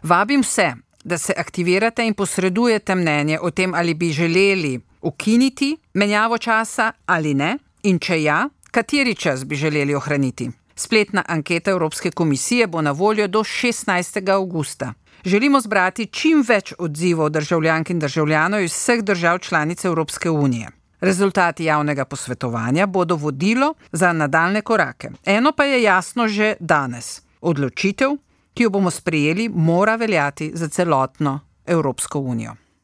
Vabim vse, da se aktivirate in posredujete mnenje o tem, ali bi želeli ukiniti menjavo časa ali ne, in če ja, kateri čas bi želeli ohraniti. Spletna anketa Evropske komisije bo na voljo do 16. avgusta. Želimo zbrati čim več odzivov državljank in državljanov iz vseh držav članic Evropske unije. Rezultati javnega posvetovanja bodo vodilo za nadaljne korake. Eno pa je jasno že danes. Odločitev, ki jo bomo sprejeli, mora veljati za celotno Evropsko unijo.